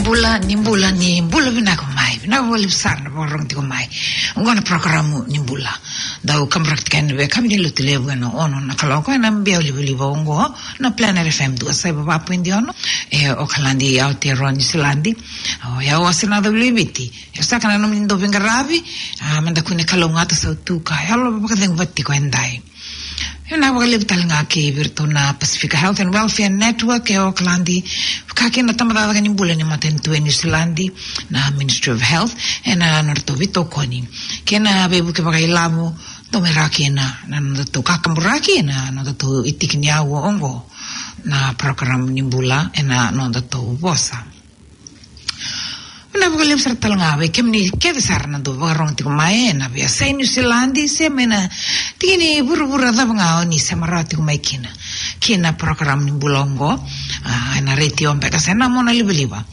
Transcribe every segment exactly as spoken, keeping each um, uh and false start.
Bula, ni bula, ni bula vinaka mai. Vinaka vakalevu sara na vakarorogo tiko mai. Oqo na porokaramu ni bula. Dau kaburaki tiko yani vei kemuni na Lotulevu ena ono na kaloko ena biau livaliva oqo na Planet F M dua saiva va poidi ono. E Okaladi, Aotearoa, Niusiladi. O yau o Sena Cavuleiviti. E saka na nomuni dau veiqaravi. A, meda kune kalougata, sautu ka yalo vakacegu vata tiko edai. Vinaka vakalevu tale ga kei vei iratou na Pacific Health and Welfare Network e Okaladi, vaka kina na tabacakacaka ni bula ni matanitu e Niusiladi, na Ministry of Health, ena nodratou veitokoni kei na veivuke vakailavo, dau mai rawa kina na nodatou kakaburaki ena nodatou itiki ni aua oqo, na porokaramu ni bula ena nodatou vosa. Vinaka vakalevu sara tale ga vei kemuni kece sara na dau vakarorogo tiko mai ena veiyasai Niusiladi se mai na tiki ni vuravura cava ga o ni sema rawa tiko mai kina, kina porokaramu ni bula oqo, a, ena retio beka se na mona livaliva.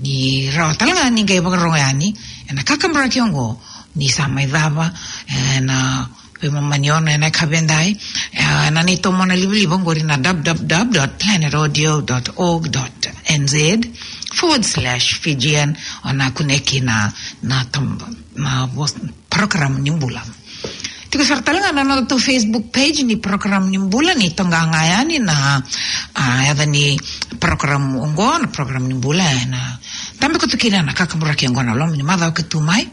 Ni rawa tale ga ni qai vakarorogo yani ena kakaburaki oqo, ni sa mai cava ena veimama ni ono ena yakavi edai, e, na neitou mona livaliva oqori na w w w dot planet audio dot org dot n z forward slash Fijian, o na kunea kina na, na tam-, na vos-, porokaramu ni bula. Tiko sara tale ga na nodatou Facebook page ni porokaramu ni bula, ni toqa ga yani na, a, yaca ni porokaramu oqo, na porokaramu ni bula, e, na tabe koto kina na kakaburaki oqo na loma ni macawa ka tu mai,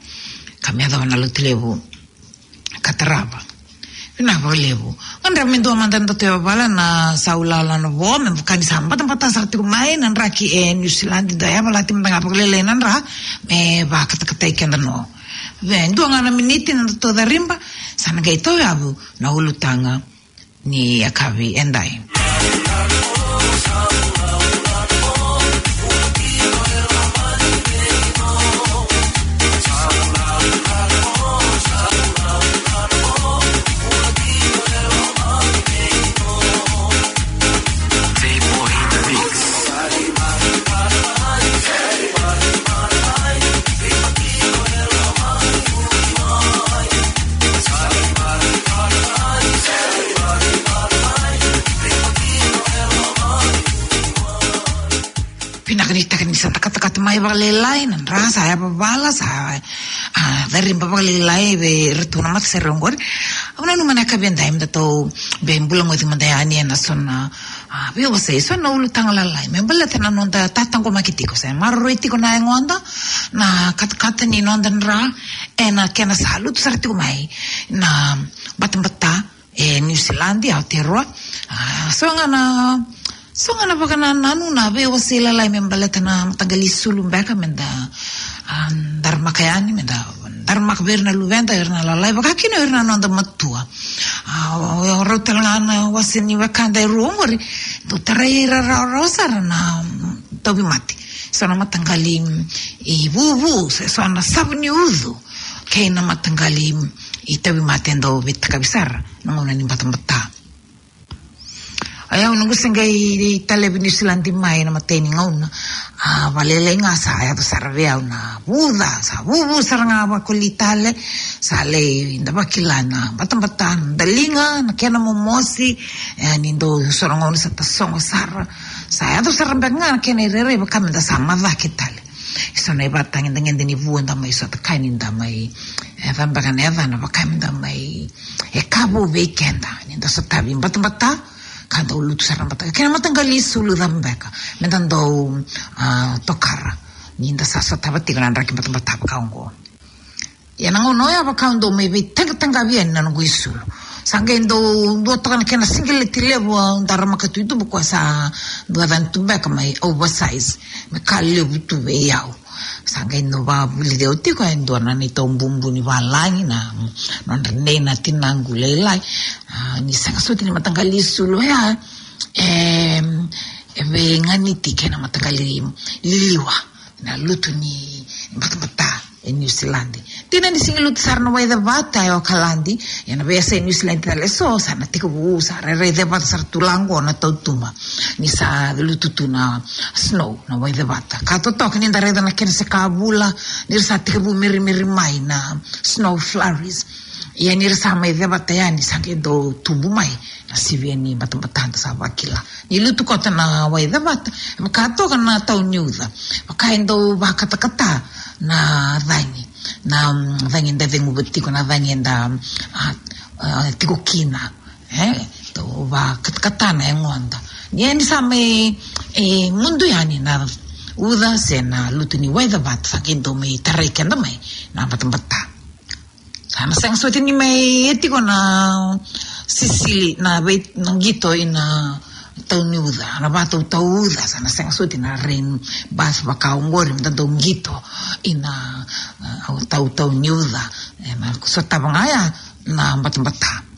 ka me yacova na Lotulevu ka tarava. Vinaka vakalevu. Gadreva me dua mada na nodatou yavavala na sa ulala na vo, me vaka ni sa batabata sara tiko mai na draki e Niusiladi, da yavalati mada ga vakalailai na dra me vakatakatai keda no. Vei dua ga na miniti na nodatou cariba, sa na qai tauyavu na ulutaga ni yakavi edai. Vinaka ni taka ni sa takatakata mai vakalailai na dra, sa yavavala, sa, a, cariba vakalailai vei iratou na matasere oqori. Au nanuma na yakavi edai me datou via bula goci mada yani ena so na, a, veiwasei, so na ulutaga lalai me baleta na noda tataqomaki tiko se maroroi tiko na yagoda, na katakata ni noda dra ena kena sa lutu sara tiko mai na batabata e Niusiladi, Aotearoa. A, so ga na, so ga na vakanananu na veiwasei lalai me baleta na mataqali isulu beka me da, a, daramaka yani, me da daramaka vei ira na luveda, ira na lalai, vaka kina ira na noda matua. A, o, o rau tale ga na wase ni wekada e rua oqori, dau tarai ira rawarawa sara na, mm, tauvimate. So na mataqali, mm, ivuvu, se so na savu ni ucu, kei na mataqali, mm, itauvimate e dau veitakavi sara na gauna ni batabata. Ia au noqu se qai talevi Niusiladi mai na imatai ni gauna, a, vakalailai ga sa yaco sara vei au na vuca, sa vuvu sara ga vakoli tale, sa lai da vakila na batabata na daliga, na kena momosi, e, ni dau so na gauna sa tasogo sara, sa yaco sara beka ga na kena irairai vaka me da sa macake tale. So na ivakatagedegede ni vu eda mai sota kaya ni da mai, e, yaca beka na yacana vaka me da mai, e, ka vou vei keda ni da sotavi batabata, ka dau lutu sara na batabata. Kei na mataqali isulu cava beka me da dau, a, tokara ni da sa sotava tiko na draki batabata vaka oqo. Ia na gauna oya vaka au dau mai veitaqataqavi yani na noqu isulu. Sa qai dau dua toka na kena siqeleti levu au daramaka tu i tuba, koya sa dua cani tu beka mai oversize, me ka levu tu vei au. Sa qai dau vakavulici au tiko e dua na neitou bubu ni valagi na nodra nei na tinaqu lailai. A, ni sega soti ni mataqali isulu oya, e, e veiganiti kei na mataqali liliwa na lutu ni batabata e Niusiladi. Dina ni sega ni lutu sara na waicevata e Okaladi, ia na veiyasai Niusiladi tale eso sa na tekivu, sa rairai cevata sara tu la oqo na tautuba ni sa lutu tu na snow, na waicevata. Ka totoka ni da raica na kena se ka vula ni ra sa tekivu merimeri mai na snow flurries. Ia ni ra sa mai cevata yani, sa qai dau tubu mai na sivia ni batabata, da sa vakila. Ni lutu koto na wai cevata, e vaka toka na tau ni uca. Vaka e dau vakatakata na cagi. Na, mm, cagi eda ceguva tiko, na cagi eda, a, a, tiko kina. E, dau vakatakata na yagoda. Ni, ni sa mai, e, mudu yani na uca se na lutu ni wai cevata, sa qai dau mai tarai keda mai na batabata. Sa na sega soti ni mai e tiko na sisili, na vei, na qito ina tau ni uca, na vatautau uca, sa na sega soti na rain bath vaka oqori, me da dau qito ina, a, tautau ni uca. E, na sotava ga ya na batabata.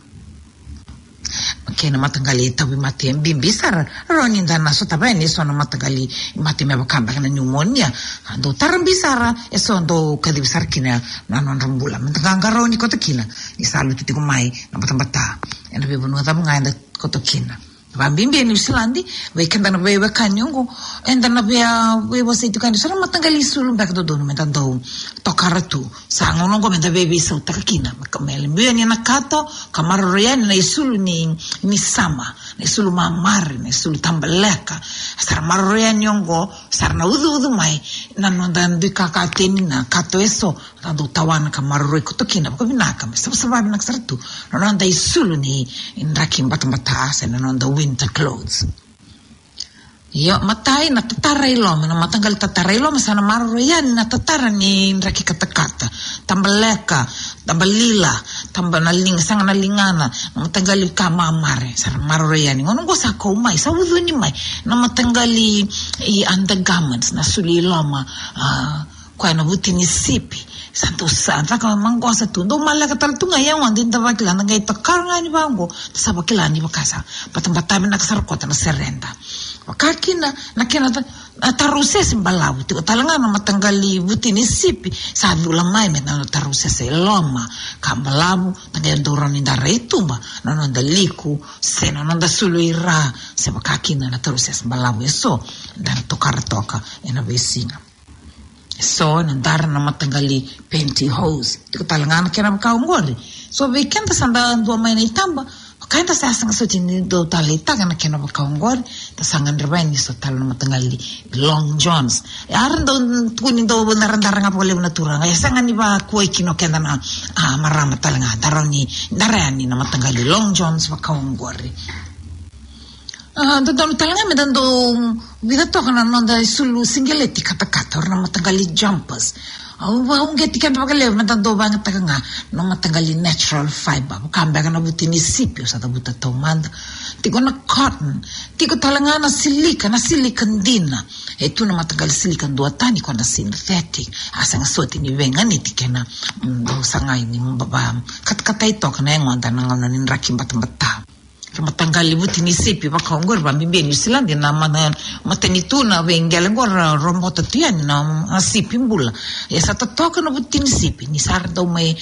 Kei na mataqali tauvimate bibi sara, rawa ni da na sotava yani eso na mataqali mate me vaka beka na pneumonia. A dau tara bibi sara, eso dau kacivi sara kina na nodra bula. Me da qaqarauni koto kina ni sa lutu tiko mai na batabata ena veivanua cava ga eda koto kina. Vakabibi e Niusiladi, vei keda na veiwekani oqo, eda na via, via wasei tiko yani eso na mataqali isulu beka dodonu me da dau tokara tu. Sa gauna oqo me da veiveisautaka kina, me ka, me levu yani na kato, ka maroroi yani na isulu ni, ni summer, na isulu mamare, na isulu tabaleka. Sa ra maroroi yani oqo, sa ra na ucuucu mai na noda dui kakateni na kato eso, da dau tawana ka maroroi koto kina vakavinaka, me savasava vinaka sara tu na noda isulu ni draki batabata se na noda winter clothes. Io, matai na tatara i loma, na mataqali tatara i loma, sa na maroroi yani na tatara ni draki katakata. Tabaleka, tabalila, taba na liga, saga na ligana, na mataqali ka mamare, sa na maroroi yani. Gauna oqo sa kau mai, sa ucuni mai na mataqali i undergarments, na isulu i loma, a, koya na vuti ni sipi, sa dau sa caka maqosa tu, dau maleka tale tu ga e yagoda, da vakila, da qai tokara ga yani vaqo, da sa vakila ni vaka sa batabata vinaka sara koto na sereda. Vaka kina na kena ta-, na tarausese balavu, tiko tale ga na mataqali vuti ni sipi, sa cula mai me na tarausese e loma, ka balavu, da qai dau rawa ni da rai tuba na noda liku, se na noda isulu i ra, se vaka kina na tarausese balavu eso da na tokara toka ena veisiga. So, na dara na mataqali pantyhose. Tiko tale ga na kena vaka oqori. So, vei keda sa da dua mai na itaba, vaka eda sa sega soti ni dau taleitaka na kena vaka oqori, da sa gadreva yani eso tale na mataqali long johns. E, era dau tukuni dau daradara ga vakalevu na turaga. E sega ni vakuai kina o keda na, a, marama tale ga. Da rawa ni dara yani na mataqali long johns vaka oqori. A, dodonu tale ga me da dau vica toka na noda isulu siqeleti katakata, o ira na mataqali jumpers. Au vakauqeti keda vakalevu me da dau vakayagataka ga na mataqali natural fiber, vaka beka na vuti ni sipi, au sa cavuta taumada. Tiko na cotton, tiko tale ga na silika, na silika dina. E tu na mataqali silika duatani, koya na synthetic. A sega soti ni veiganiti kei na, mm, dau sagai ni ba-, ba-, katakatai toka na yagoda na gauna ni draki batabata. Ra mataqali vuti ni sipi vaka oqori, vakabibi e Niusiladi, na ma-, na matanitu na veiqele oqori ra robota tu yani na, na sipi bula. Ia sa totoka na vuti ni sipi ni sa ra dau mai,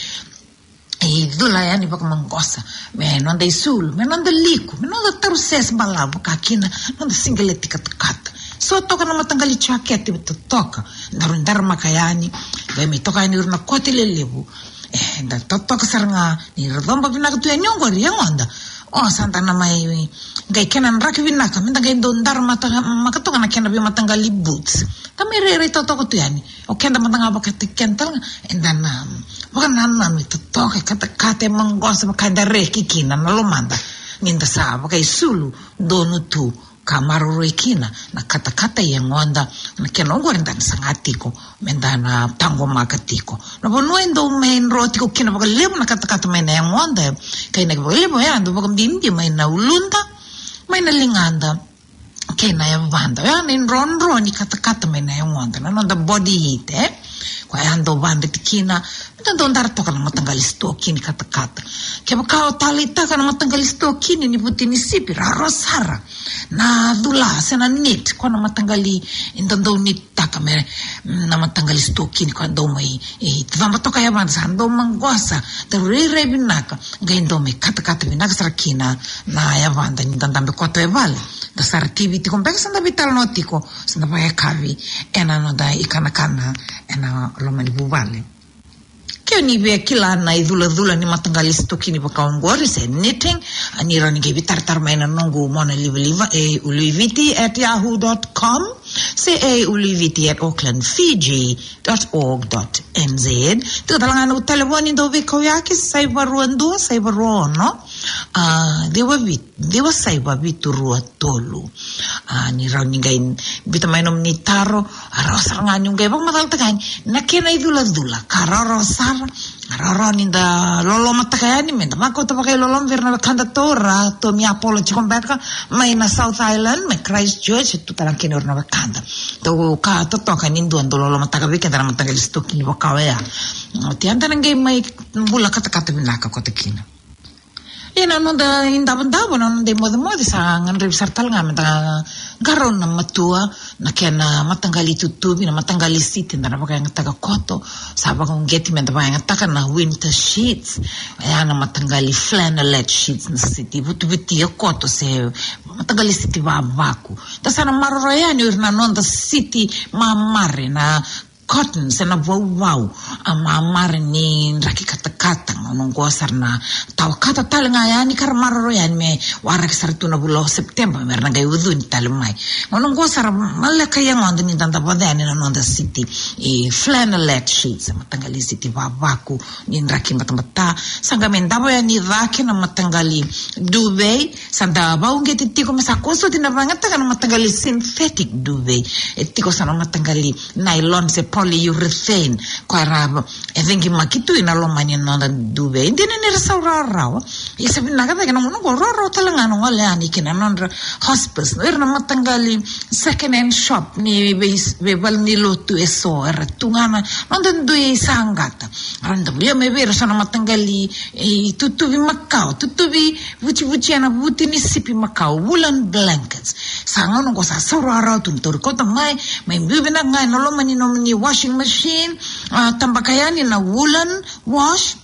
e, cula yani vakamaqosa me noda isulu, me noda liku, me noda tarausese balavu, vaka kina noda siqeleti katakata. So toka na mataqali jaketi totoka, daru daramaka yani, qai mai toka yani o ira na kote lelevu. E, da totoka sara ga, ni ra coba vinaka tu yani oqori yagoda. O, sa da na mai, qai kena draki vinaka, me da qai dau daramaka toka na kena veimataqali boots. Da mai rairai totoka tu yani. O keda mada ga vakataki keda tale ga, eda na vakanananu e totoka, e katakata, e maqosa, vaka eda reki kina na lomada. Ni da sa vakaisulu donu tu, ka maroroi kina na katakata i yagoda, na kena oqori da na saga tiko me da na taqomaka tiko. Na vanua e dau mai dro tiko kina vakalevu na katakata mai na yagoda, e, ka inaki vakalevu, e a dau vakabibi mai na uluda, mai na ligada, kei na yavada. Oya na idrodro ni katakata mai na yagoda, na noda body heat, e? Koya e dau vakadreti kina, me da dau dara toka na mataqali sitokini katakata. Kevaka o taleitaka na mataqali sitokini ni vuti ni sipi, rawarawa sara na cula se na knit, koya na mataqali eda dau knit taka me, mm, na mataqali sitokini koya dau mai, e, caba toka yavada, sa dau maqosa, da rairai vinaka, qai dau mai katakata vinaka sara kina na yavada ni da dabe koto e vale. Da sara T V tiko beka, sa da veitalanoa tiko, sa da vakayakavi ena noda ikanakana ena loma ni vuvale. Ke o ni via kila na iculacula ni mataqali sitokini vaka oqori se knitting, a, ni rawa ni qai veitaratara mai na noqu mona livaliva, A Uluiviti at yahoo dot com, se A Uluiviti at auckland fiji dot org dot N Z. Tiko tale ga na noqu talevoni dau veikauyaki, saiva rua dua, saiva rua ono, a, ciwa vitu, ciwa saiva vitu rua tolu. A, ni rawa ni qai biuta mai nomuni taro, a, rawa sara ga niu qai vakamacalataka yani na kena iculacula, ka rawarawa sara, a, rawarawa ni da lolomataka yani, me da vakauta vakailoloma vei ira na wekada taura, Tommy Apollo tiko beka mai na South Island, mai Christchurch, e tu tale ga kina o ira na wekada. Dau ka totoka ni dua dau lolomataka vei keda na mataqali sitokini vaka oya. Oti eda na qai mai bula katakata vinaka koto kina. Ia na noda idavodavo, na noda imocemoce, sa gadrevi sara tale ga me da qarauna matua na kena mataqali tutuvi, na mataqali siti eda na vakayagataka koto. Sa vakauqeti me da vakayagataka na winter sheets, oya na mataqali flannelette sheets, na siti vutivutia koto se mataqali siti vavaku. Da sa na maroroya yani o ira na noda siti mamare, na cotton se na vauvau, a, mamare ni draki katakata. Gauna oqo sa ra na tawakata tale ga yani ka ra maroroya yani me waraki sara tu na vula o September me ra na qai ucuni tale mai. Gauna oqo sa ra maleka yagoda ni da davoca yani na noda siti, e, flannelette sheets, e, mataqali siti vavaku ni draki batabata. Sa qai mai davo yani cake na mataqali duvet, sa da vakauqeti tiko me sa koso oti na vakayagataka na mataqali synthetic duvet. E tiko so na mataqali nylon se polyurethane, koya ra, e, cegimaki tu ena loma ni noda duvet. E dina ni ra sau rawarawa, ia sa vinaka cake na gauna oqo, rawarawa tale ga na gole yani ki na nodra hospice, o ira na mataqali second hand shop ni vei, veivalenilotu eso, era tu ga na noda dui saqata. Era dau volia mai vei ira so na mataqali, e, tutuvi makawa, tutuvi vutivuti, ena vuti ni sipi makawa, woolen blankets. Sa gauna oqo sa sau rawarawa tu, ni tauri koto mai, mai biu vinaka ga ena loma ni nomuni washing machine, a, tabaka yani na woolen wash,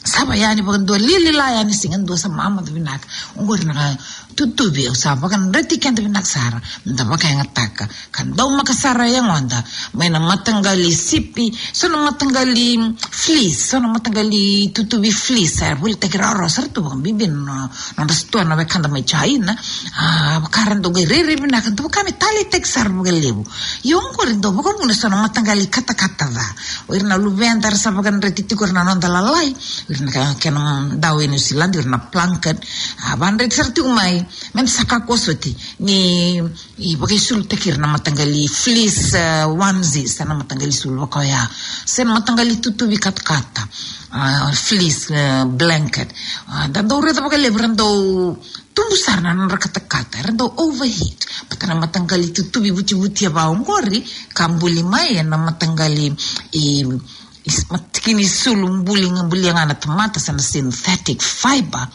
sava yani vakadua, lilila yani, siga dua sa mamaca vinaka. Oqori na ka tutuvi au sa vakadreti keda vinaka sara me da vakayagataka, ka daumaka sara e yagoda mai na mataqali sipi, so na mataqali fleece, so na mataqali tutuvi fleece, sa volitaki rawarawa sara tu vakabibi na nodra sitoa na wekada mai China. A, vaka ra dau qai rairai vinaka, dau vaka me taleitaki sara vakalevu. Ia oqori dau vakavuna so na mataqali katakata ca. O ira na luveda era sa vakadreti tiko, o ira na noda lalai, o ira na ka, kena dau e New Zealand, o ira na blanket. A, vakadreti sara tiko mai me da sa kakua soti ni, e, vakaisulutaki ira na mataqali fleece, e, onesie, se na mataqali sulu vaka oya, se na mataqali tutuvi katakata, a, fleece, e, blanket. A, da dau raica vakalevu era dau tubu sara na nodra katakata, era dau overheat. Baleta na mataqali tutuvi vutivutia vaka oqori ka buli mai ena mataqali, e, is-, matikini sulu buli, bulia ga na tamata, se na synthetic fiber.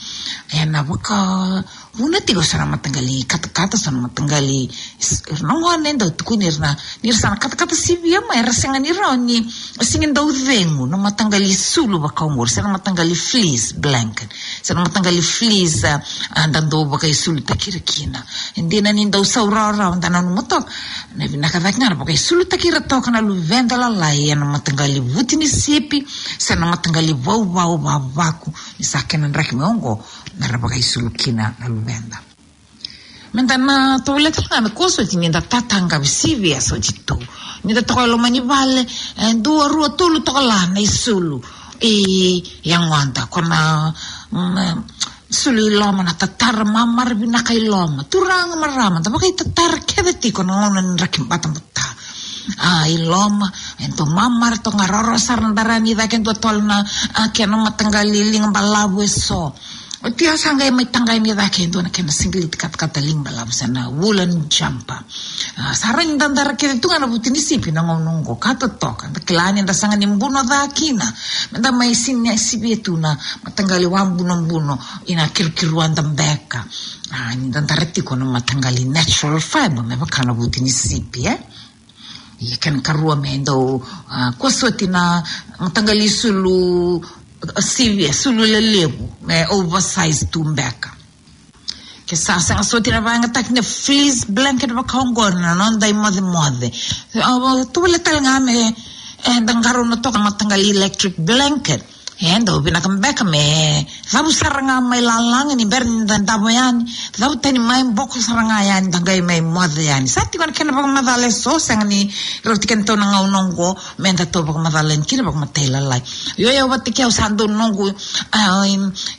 Ena vakavuna tiko so na mataqali katakata, so na mataqali s-, ira na gone dau tukuni ira na, ni ra sa na katakata sivia mai, era sega ni rawa ni, sega ni dau cegu na mataqali sulu vaka oqori, se na mataqali fleece blanket, se na mataqali fleece, a, a, da dau vakaisulutaki ira kina. E dina ni dau sau rawarawa, da nanuma toka na vinaka cake ga na vakaisulutaki ira toka na luveda lalai ena mataqali vuti ni sipi, se na mataqali vauvau vavaku, ni sa kena draki mai oqo me ra vakaisulu kina na luveda. Me da na tovolea tale ga me kua soti ni da tataqavi sivia soti tu. Ni da toka e loma ni vale, e, dua, rua, tolu toka la na isulu i yagoda, ko na, mm, sulu i loma, na tatara mamara vinaka i loma. Turaga, marama, da vakaitatara kece tiko na gauna ni draki batabata. A, i loma, e dua mamara toka ga, rawarawa sara na da rawa ni caka e dua tale na, a, kena mataqali liga balavu eso. Oti au sa qai mai taqa yani e cake e dua na kena sigiliti katakata liga balavu se na woolen jumper. A, sa rawa ni da dara kece tu ga na vuti ni sipi na gauna oqo ka totoka. Da kila ni da sega ni buno ca kina me da mai sini sivia tu na mataqali wabunobuno ina kirukiruada beka. A, ni da dara tiko na mataqali natural fiber me vaka na vuti ni sipi, e? Ia kena karua me dau, a, kua soti na mataqali sulu, a, sivia, sulu lelevu, me oversize tu beka. Ke sa sega soti na vakayagataki na fleece blanket vaka oqori na noda imocemoce. A, tovolea tale ga me, Eda qarauna toka na mataqali electric blanket. E dau vinaka beka me cavu sara ga mai lalaga ni bera ni da davo yani. Cavu tani mai, boko sara ga yani, da qai mai moce yani. Sa tiko na kena vakamacala eso, sega ni rauti kedatou na gauna oqo me datou vakamacala yani kina vakamatailalai. Io, io, vata kei au sa dau noqu, ah,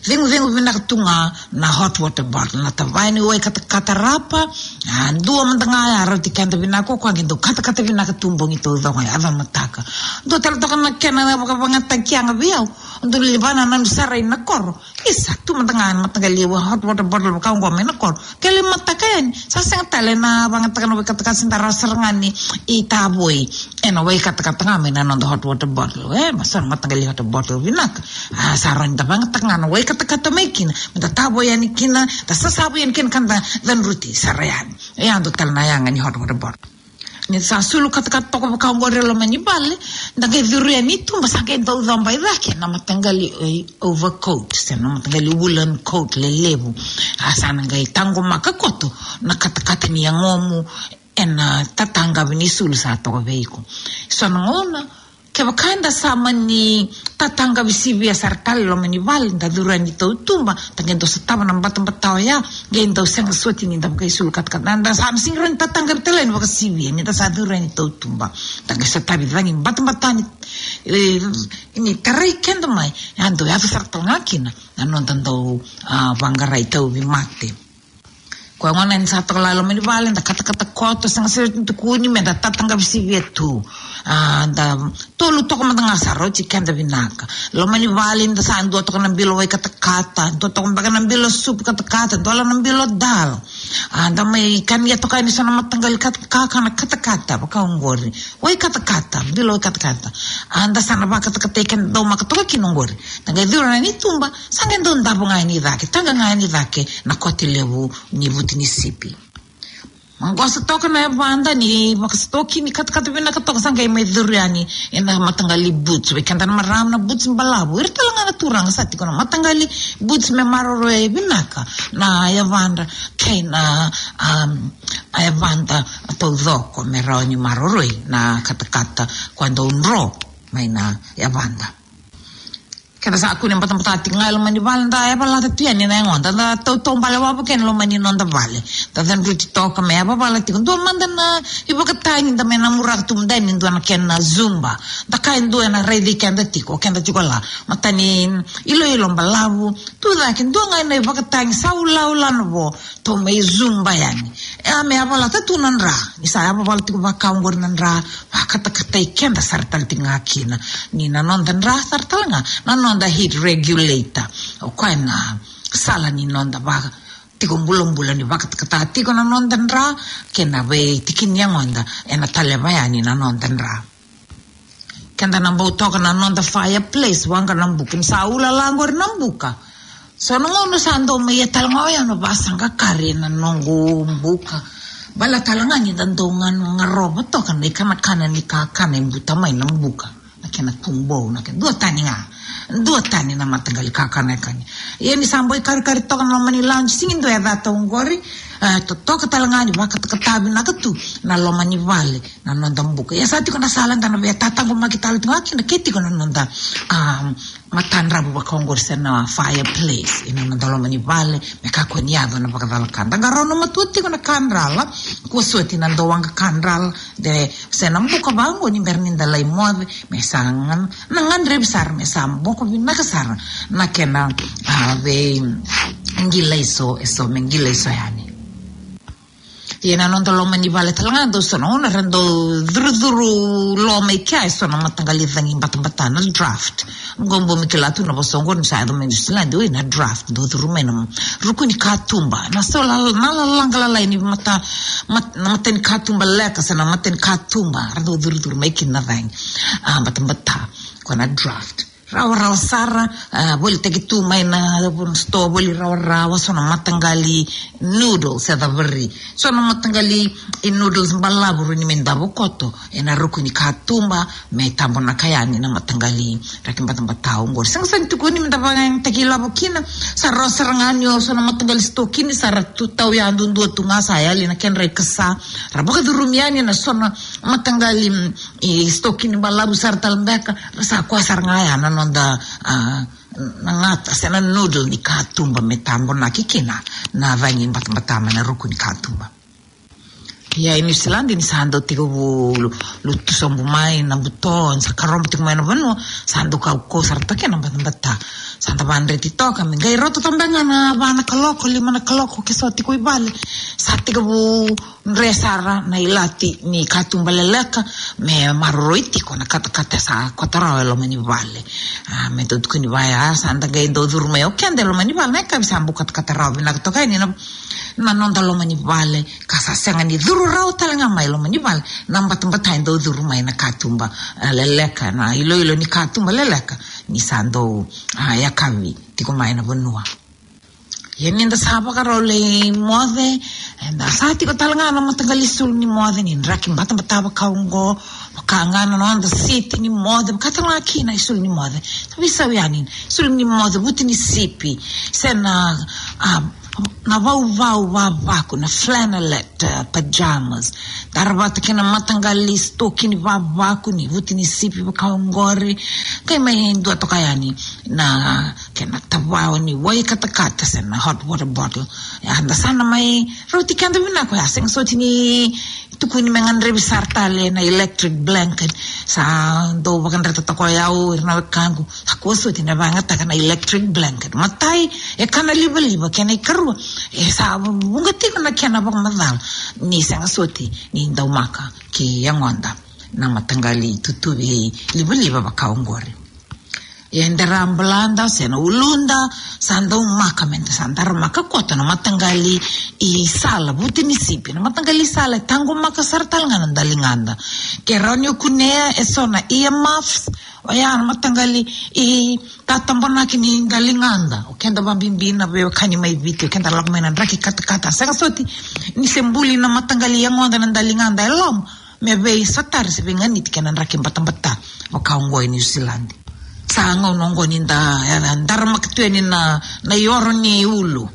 cegucegu vinaka tu ga na hot water bottle, na tavaya ni wai katakata rapa. A, dua mada ga ya rauti keda vinaka, o koya qai dau katakata vinaka tu bogi taucoko, yaco mataka. Dua tale toka na kena vakavakayagataki yaga vei au, dau levana na nanu sara i na koro. Isa, tu mada ga na mataqali hot water bottle vaka oqo mai na koro. Ke lai mataka yani, sa sega tale na vakayagataka na wai katakata, sa da rawa sara ga ni tavoi ena wai katakata ga mai na noda hot water bottle. E, ma sa na mataqali hot water bottle vinaka. A, sa rawa ni da vakayagataka ga na wai katakata mai kina, me da tavoi yani kina, da sasavu yani kina ka da cadruti sara yani. E, a dua tale na yaga ni hot water bottle. Ni sa sulu katakata toka vaka oqori e loma ni vale, da qai curu yani i tuba, sa qai dau coba i cake na mataqali, e, overcoat, se na mataqali woolen coat lelevu. A, sa na qai taqomaka koto na katakata ni yagomu ena tataqavi ni sulu sa toka vei iko. So na gauna, kevaka eda sa mani tataqavi sivia sara tale e loma ni vale, da curu yani tautuba, da qai dau sotava na batabata oya, qai dau sega soti ni da vakaisulu katakata. Da sa na sega ni rawa ni tataqavi tale ni vakasivia ni da sa curu yani tautuba. Da qai sotavi cagi batabata ni, e, ni tarai keda mai, e a dau yaco sara tale ga kina na noda dau, a, vaqarai tauvimate. Koya gona ni sa toka la e loma ni vale, da katakata koto, sega sara ni tukuni me da tataqavi sivia tu. A, da tolu toka mada ga sa rauti keda vinaka. Loma ni vale, da sa dua toka na bilo wai katakata, dua toka beka na bilo supu katakata, dua la na bilo dal. A, da mai kania toka yani so na mataqali kat-, kakana katakata vaka oqori. Wai katakata, bilo wai katakata. A, da sa na vakatakatai keda daumaka toka kina oqori. Da qai curu yani i tuba, sa qai dau davo ga yani i cake, taqa ga yani i cake na kote levu ni vuti ni sipi. Maqosa toka na yavada ni vakasitoki ni katakata vinaka toka, sa qai mai curu yani ena mataqali boots. Vei keda na marama, na boots balavu. Ira tale ga na turaga sa tiko na mataqali boots me maroroi vinaka na yavadra kei na, um, a yavada taucoko me rawa ni maroroi na katakata koya dau dro mai na yavada. Keda sa kune batabata tiko ga e loma ni vale, da yavalata tu yani na yagoda, da tautaubale wavoki yani e loma ni noda vale. Da cadruti toka me yavavala tiko. Dua mada na ivakatagi da mai namuraka tu mada yani, dua na kena zumba. Da kaya e dua ena raici keda tiko, keda tiko la. Matani iloilo balavu, tu cake, dua ga na ivakatagi sa ulaula na vo. Tou mai zumba yani. E a me yavalata tu na dra. Ni sa yavavala tiko vaka oqori na dra, vakatakatai keda sara tale tiko ga kina. Ni na noda dra sara tale ga na noda heat regulator. O koya na sala ni noda vaka tiko bulabula ni vakatakata tiko na noda dra, kei na veitiki ni yagoda ena taleva yani na noda dra. Keda na bau toka na noda fireplace, waqa na buka, ni sa ulala oqori na buka. So na gauna sa dau mai ia tale ga oya na vasaqa kari ena noqu buka. Bala tale ga ni da dau ga, garova toka na ikanakana ni kakana e buta mai na buka. Na kena kubou, na kena duatani ga. Duatani na mataqali kakana e kani. Ia ni sa bau ikarikari toka na loma ni lounge, sigi dua e cata oqori, e, totoka tale ga ni vakatakata vinaka tu na loma ni vale. Na noda buka. Ia sa tiko na sala da na via tataqomaki tale tiko ga kina ke tiko na noda, um, matadravu vaka oqori se na fireplace ena noda loma ni vale, me kakua ni yaco na vakacalaka. Da qarauna matua tiko na kadrala, kua soti na dau waqa kadrala, de se na buka vaqo ni bera ni da lai moce, me sa ga, na gadrevi sara, me sa boko vinaka sara na kena, a, veiqilaiso, eso me qilaiso yani. Ia na noda loma ni vale tale ga, dau so na gauna ra dau curucuru lo mai kea eso na mataqali cagi batabata, na draft. Qo bau mai kila tu na vosa oqo ni sa yaco mai New Zealand, oi, na draft, dau curu mai na ruku ni katuba. Na so la, na lalaqa lalai ni mata, mat-, na mata ni katuba leka, se na mata ni katuba ra dau curucuru mai kina na cagi, a, batabata. Ko na draft. Rawarawa sara, a, volitaki tu mai na sitoa voli rawarawa, so na mataqali noodles e cavari. So na mataqali i noodles balavu rawa ni me davo koto ena ruku ni katuba, me tabonaka yani na mataqali draki batabata oqori. Sega sara ni tukuni me da vakayagataki ilavo kina, sa rawa sara ga ni o so na mataqali sitoa kina sa ra tu tau ya duadua tu ga, sa yali na kedra ikasa, ra vakacurumi yani na so na mataqali, mm, i sitoa kina balavu sara tale beka, ra sa koya sara ga ya na noda, a, na gata se na noodle ni katuba me tabonaki kina na cagi batabata mai na ruku ni katuba. Ia e New Zealand ni sa dau tekivu lu-, lutu sobu mai na buto, ni sa karoba tiko mai na vanua, sa dau kaukauwa sara toka na batabata. Sa da vakadreti toka me qai rauta toka beka ga na va na kaloko, lima na kaloko, ke so tiko i vale, sa tekivu dre sara na ilati ni katuba leleka, me maroroi tiko na katakata sa koto rawa e loma ni vale. A, me dau tukuni vaya, sa da qai dau curu mai o keda e loma ni vale, na yakavi sa bau katakata rawa vinaka toka yani na, na noda loma ni vale, ka sa sega ni curu rawa tale ga mai loma ni vale na batabata e dau curu mai na katuba, a, leleka, na iloilo ni katuba leleka, ni sa dau, a, yakavi tiko mai na vanua. Ia ni da sa vakarau lai moce, eda sa tiko tale ga na mataqali isulu ni moce ni draki batabata vaka oqo, vaka ga na noda siti ni moce, vaka tale ga kina isulu ni moce. Sa veisau yani, isulu ni moce vuti ni sipi, se na, a, na vauvau vavaku, na flannelette, a, pajamas. Dara vata kei na mataqali sitoki ni vavaku ni vuti ni sipi vaka oqori. Qai mai dua toka yani na kena tavao ni wai katakata se na hot water bottle. Ia da sa na mai rauti keda vinaka, ia sega soti ni tukuni me gadrevi sara tale na electric blanket. Sa dau vakadreta toka o yau, ira na wekaqu, sa kua soti na vakayagataka na electric blanket. Matai, e kana livaliva, kena ikarua, e sa vuqa tiko na kena vakamacala ni sega soti ni daumaka ki yagoda na mataqali itutuvi livaliva vaka oqori. Ia e dera balada se na uluda, sa daumaka me da sa daramaka koto na mataqali isala vuti ni sipi. Na mataqali isala e taqomaka sara tale ga na daligada. Ke rawa ni o kunea e so na earmuffs, oya na mataqali itatabonaki ni daligada. O keda vabibi na veiwekani mai Viti, o keda lako mai na draki katakata, sega soti ni se buli na mataqali yagoda na daligada e loma, me veisotari se veiganiti kei na draki batabata vaka oqo e New Zealand. Sa gauna oqo ni da, e, daramaka tu yani na, na ioro ni ulu.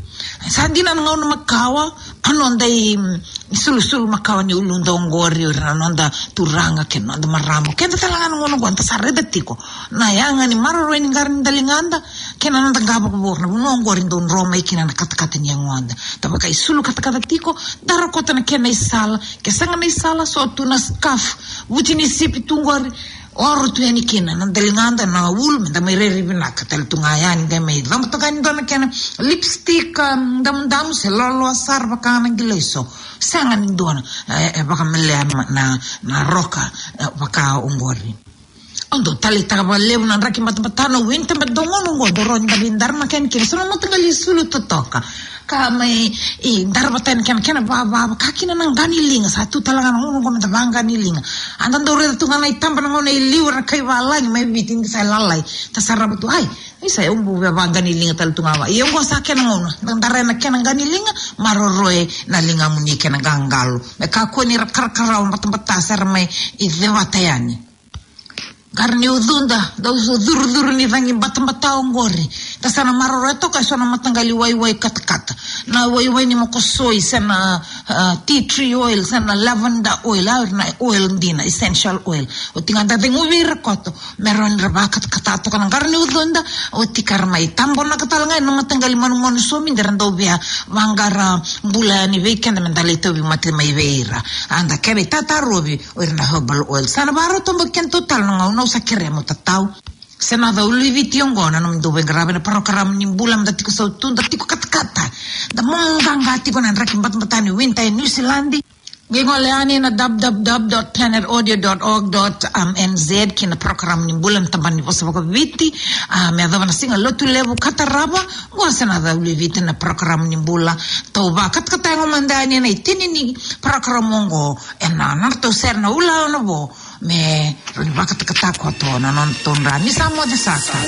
Sa dina na gauna makawa, a noda i, mm, sulusulu makawa ni uluda oqori, o ira na noda turaga kei na noda marama. Keda tale ga na gauna oqo da sa raica tiko na yaga ni maroroi ni qara ni daligada kei na noda qavokavoka, na vanua oqori dau dro mai kina na katakata ni yagoda. Da vakaisulu katakata tiko, dara koto na kena isala, ke sega na isala, so tu na scarf vuti ni sipi tu qori, oro tu yani kina na daligada, na ulu, me da mai rairai vinaka tale tu ga yani, qai mai coba toka yani dua na kena lipstick, um, damudamu se loaloa sara vaka na qilaiso. Sega ni dua na, e, e vakamelea na, na, na roka, e, vaka oqori. Au dau taleitaka vakalevu na draki batabata na winter, baleta dau gauna oqo dau rawa ni da veidaramaka yani kina so na mataqali isulu totoka. Ka mai, i, dara vata yani kena, kena vava, vaka kina na qa ni liga, sa tu tale ga na gauna oqo me da vaqa ni liga. A da dau raica tu ga na itaba na gauna e liu, era kai valagi mai Viti ni sa lalai. Da sarava tu, ai, isa, au bau via vaqa ni liga tale tu ga va. Ia oqo sa kena gauna, da dara na kena qa ni liga, maroroya na ligamuni kei na qaqalo. Me kakua ni ra karakarawa batabata se ra mai cevata yani. Qara ni ucuda, dau curucuru ni cagi batabata oqori. Da sa na maroroya toka e so na mataqali waiwai katakata. Na waiwai ni mokosoi, se na, ah, tea tree oil, se na lavender oil, a, na oil dina, essential oil. Oti ga da ceguvi ira koto, me rawa ni ra vakatakata toka na qara ni ucuda, oti ka ra mai tabonaka tale ga ena mataqali manumanu somidi era dau via vaqara bula yani vei keda me da lai tauvimate mai vei ira. A da kena itatarovi, o ira na herbal oil. Sa na vakarau toboki keda tale na gauna, au sa kerea mo tatau. Senaca Uluiviti, oqo na nomudou veiqaravi na parokaramu ni bula, me da tiko sautu, da tiko katakata, da momo qaqa tiko na draki batabata ni winter e New Zealand. Qai gole yani na w w w dot planet audio dot org dot n z kina parokaramu ni bula na tabana ni vosa vakaviti. A, me yacova na siga Lotulevu ka tarava, oqo Senaca Uluiviti na parokaramu ni bula. Tou vakatakata yago mada yani ena itini ni parokaramu oqo ena nodratou sere na Ula o na Vo. me rawa ni vakatakataka koto na noda todra. Ni sa moce saka.